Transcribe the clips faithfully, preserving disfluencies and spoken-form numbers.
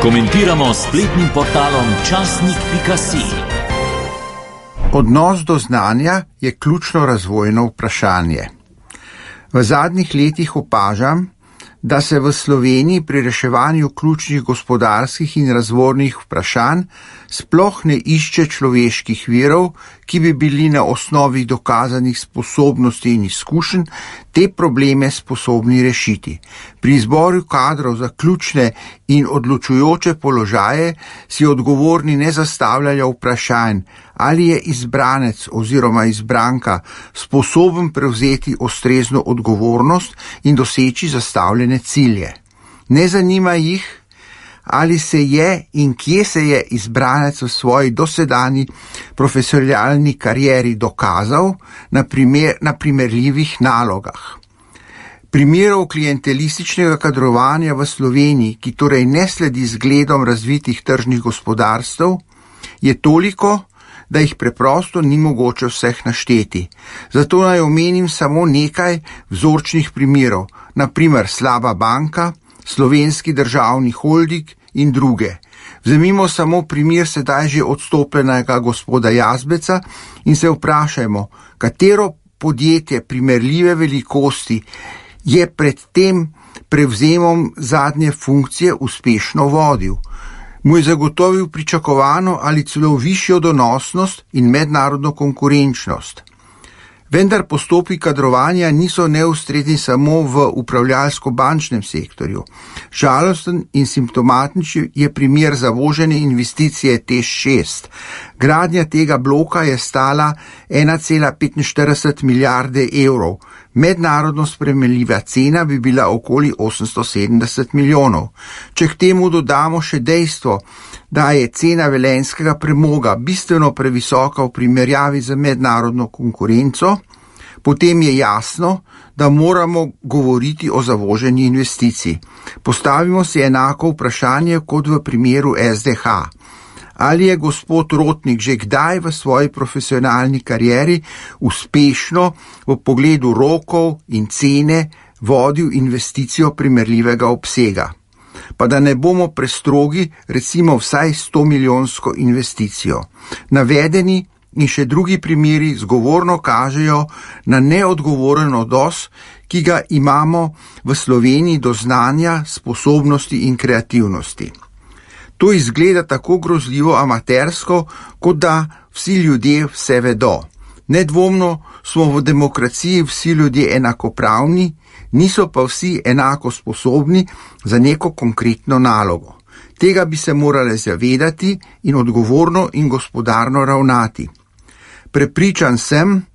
Komentiramo s spletnim portalom časnik pika si. Odnos do znanja je ključno razvojno vprašanje. V zadnjih letih opažam, da se v Sloveniji pri reševanju ključnih gospodarskih in razvojnih vprašanj sploh ne išče človeških virov, ki bi bili na osnovi dokazanih sposobnosti in izkušenj te probleme sposobni rešiti. Pri izboru kadrov za ključne in odločujoče položaje si odgovorni ne zastavljajo vprašanj, ali je izbranec oziroma izbranka sposoben prevzeti ustrezno odgovornost in doseči zastavljene cilje. Ne zanima jih, ali se je in kje se je izbranec v svoji dosedanji profesionalni karieri dokazal na, primer, na primerljivih nalogah. Primerov klientelističnega kadrovanja v Sloveniji, ki torej ne sledi zgledom razvitih tržnih gospodarstv, je toliko, da jih preprosto ni mogoče vseh našteti. Zato naj omenim samo nekaj vzorčnih primerov, na primer slaba banka, Slovenski državni holding in druge. Vzemimo samo primer sedaj že odstopljenega gospoda Jazbeca in se vprašajmo, katero podjetje primerljive velikosti je pred tem prevzemom zadnje funkcije uspešno vodil. Mu je zagotovil pričakovano ali celo višjo donosnost in mednarodno konkurenčnost. Vendar postopki kadrovanja niso neustrezni samo v upravljalsko-bančnem sektorju. Žalosten in simptomatičen je primer zavožene investicije T E Š šest. Gradnja tega bloka je stala ena cela petinštirideset milijarde evrov. Mednarodno sprejemljiva cena bi bila okoli osemsto sedemdeset milijonov. Če k temu dodamo še dejstvo, da je cena velenjskega premoga bistveno previsoka v primerjavi z mednarodno konkurenco, potem je jasno, da moramo govoriti o zavoženi investiciji. Postavimo si enako vprašanje kot v primeru S D H. Ali je gospod Rotnik že kdaj v svoji profesionalni karieri uspešno v pogledu rokov in cene vodil investicijo primerljivega obsega? Pa da ne bomo prestrogi, recimo vsaj sto milijonsko investicijo. Navedeni in še drugi primeri zgovorno kažejo na neodgovoren odnos, ki ga imamo v Sloveniji do znanja, sposobnosti in kreativnosti. To izgleda tako grozljivo amatersko, kot da vsi ljudje vse vedo. Nedvomno smo v demokraciji vsi ljudje enakopravni, niso pa vsi enako sposobni za neko konkretno nalogo. Tega bi se morali zavedati in odgovorno in gospodarno ravnati. Prepričan sem,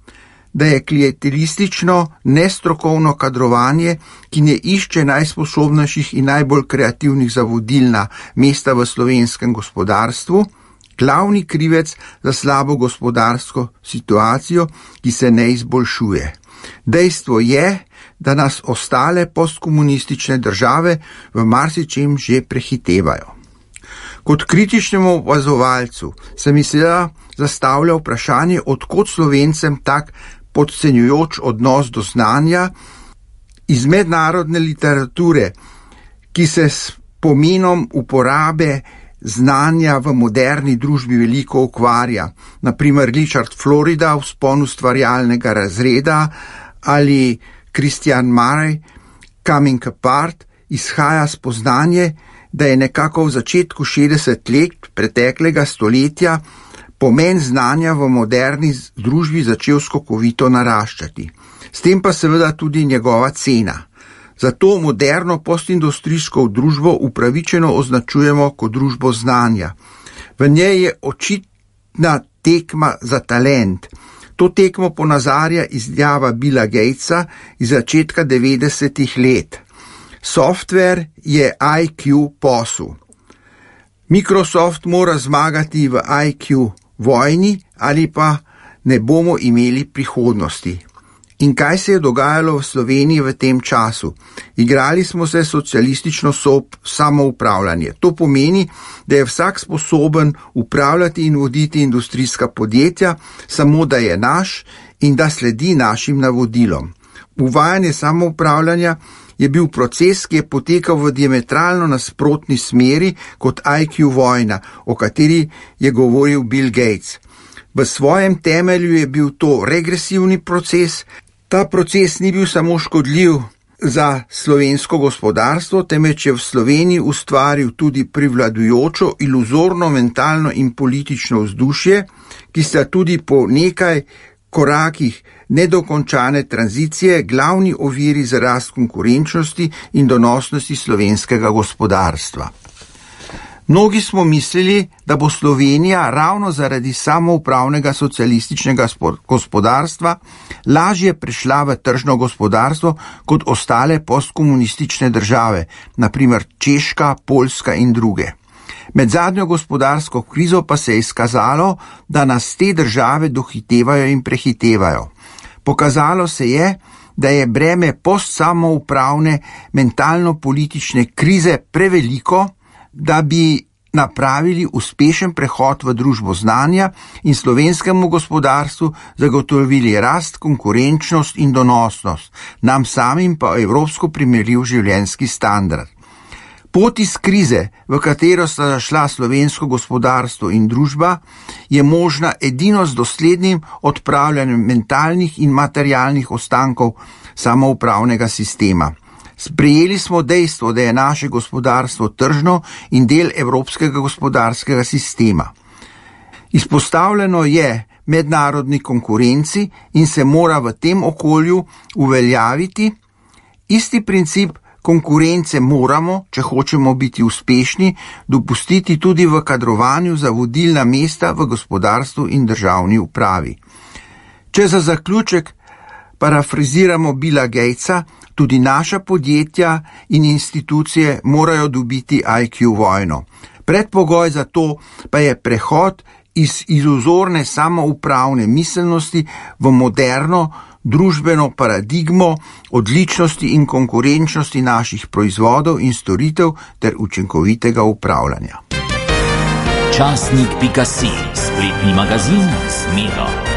da je klientelistično, nestrokovno kadrovanje, ki ne išče najsposobnejših in najbolj kreativnih za vodilna mesta v slovenskem gospodarstvu, glavni krivec za slabo gospodarsko situacijo, ki se ne izboljšuje. Dejstvo je, da nas ostale postkomunistične države v marsičem že prehitevajo. Kot kritičnemu opazovalcu se mi seveda zastavlja vprašanje, odkot Slovencem tak podcenjujoč odnos do znanja. Iz mednarodne literature, ki se s pomenom uporabe znanja v moderni družbi veliko ukvarja, na primer Richard Florida, Vzpon ustvarjalnega razreda ali Christian Murray, Coming Apart, izhaja spoznanje, da je nekako v začetku šestdesetih let preteklega stoletja pomen znanja v moderni družbi začel skokovito naraščati. S tem pa seveda tudi njegova cena. Zato moderno postindustrijsko družbo upravičeno označujemo kot družbo znanja. V njej je očitna tekma za talent. To tekmo ponazarja izjava Billa Gatesa iz začetka devetdesetih let. Software je I Q posel. Microsoft mora zmagati v I Q vojni ali pa ne bomo imeli prihodnosti. In kaj se je dogajalo v Sloveniji v tem času? Igrali smo se socialistično samoupravljanje. To pomeni, da je vsak sposoben upravljati in voditi industrijska podjetja, samo da je naš in da sledi našim navodilom. Uvajanje samoupravljanja je bil proces, ki je potekal v diametralno nasprotni smeri kot I Q vojna, o kateri je govoril Bill Gates. V svojem temelju je bil to regresivni proces. Ta proces ni bil samo škodljiv za slovensko gospodarstvo, temveč je v Sloveniji ustvaril tudi privladujočo, iluzorno, mentalno in politično vzdušje, ki sta tudi po nekaj korakih nedokončane tranzicije glavni oviri za rast konkurenčnosti in donosnosti slovenskega gospodarstva. Mnogi smo mislili, da bo Slovenija ravno zaradi samoupravnega socialističnega gospodarstva lažje prešla v tržno gospodarstvo kot ostale postkomunistične države, na primer Češka, Poljska in druge. Med zadnjo gospodarsko krizo pa se je izkazalo, da nas te države dohitevajo in prehitevajo. Pokazalo se je, da je breme postsamoupravne mentalno-politične krize preveliko, da bi napravili uspešen prehod v družbo znanja in slovenskemu gospodarstvu zagotovili rast, konkurenčnost in donosnost, nam samim pa evropsko primerljiv življenjski standard. Pot iz krize, v katero sta zašla slovensko gospodarstvo in družba, je možna edino z doslednim odpravljanjem mentalnih in materialnih ostankov samoupravnega sistema. Sprejeli smo dejstvo, da je naše gospodarstvo tržno in del evropskega gospodarskega sistema. Izpostavljeno je mednarodni konkurenci in se mora v tem okolju uveljaviti. Isti princip konkurence moramo, če hočemo biti uspešni, dopustiti tudi v kadrovanju za vodilna mesta v gospodarstvu in državni upravi. Če za zaključek parafraziramo Billa Gatesa, tudi naša podjetja in institucije morajo dobiti I Q vojno. Predpogoj za to pa je prehod iz iluzorne samoupravne miselnosti v moderno družbeno paradigmo odličnosti in konkurenčnosti naših proizvodov in storitev ter učinkovitega upravljanja. Časnik pika si, spletni magazin z Miro.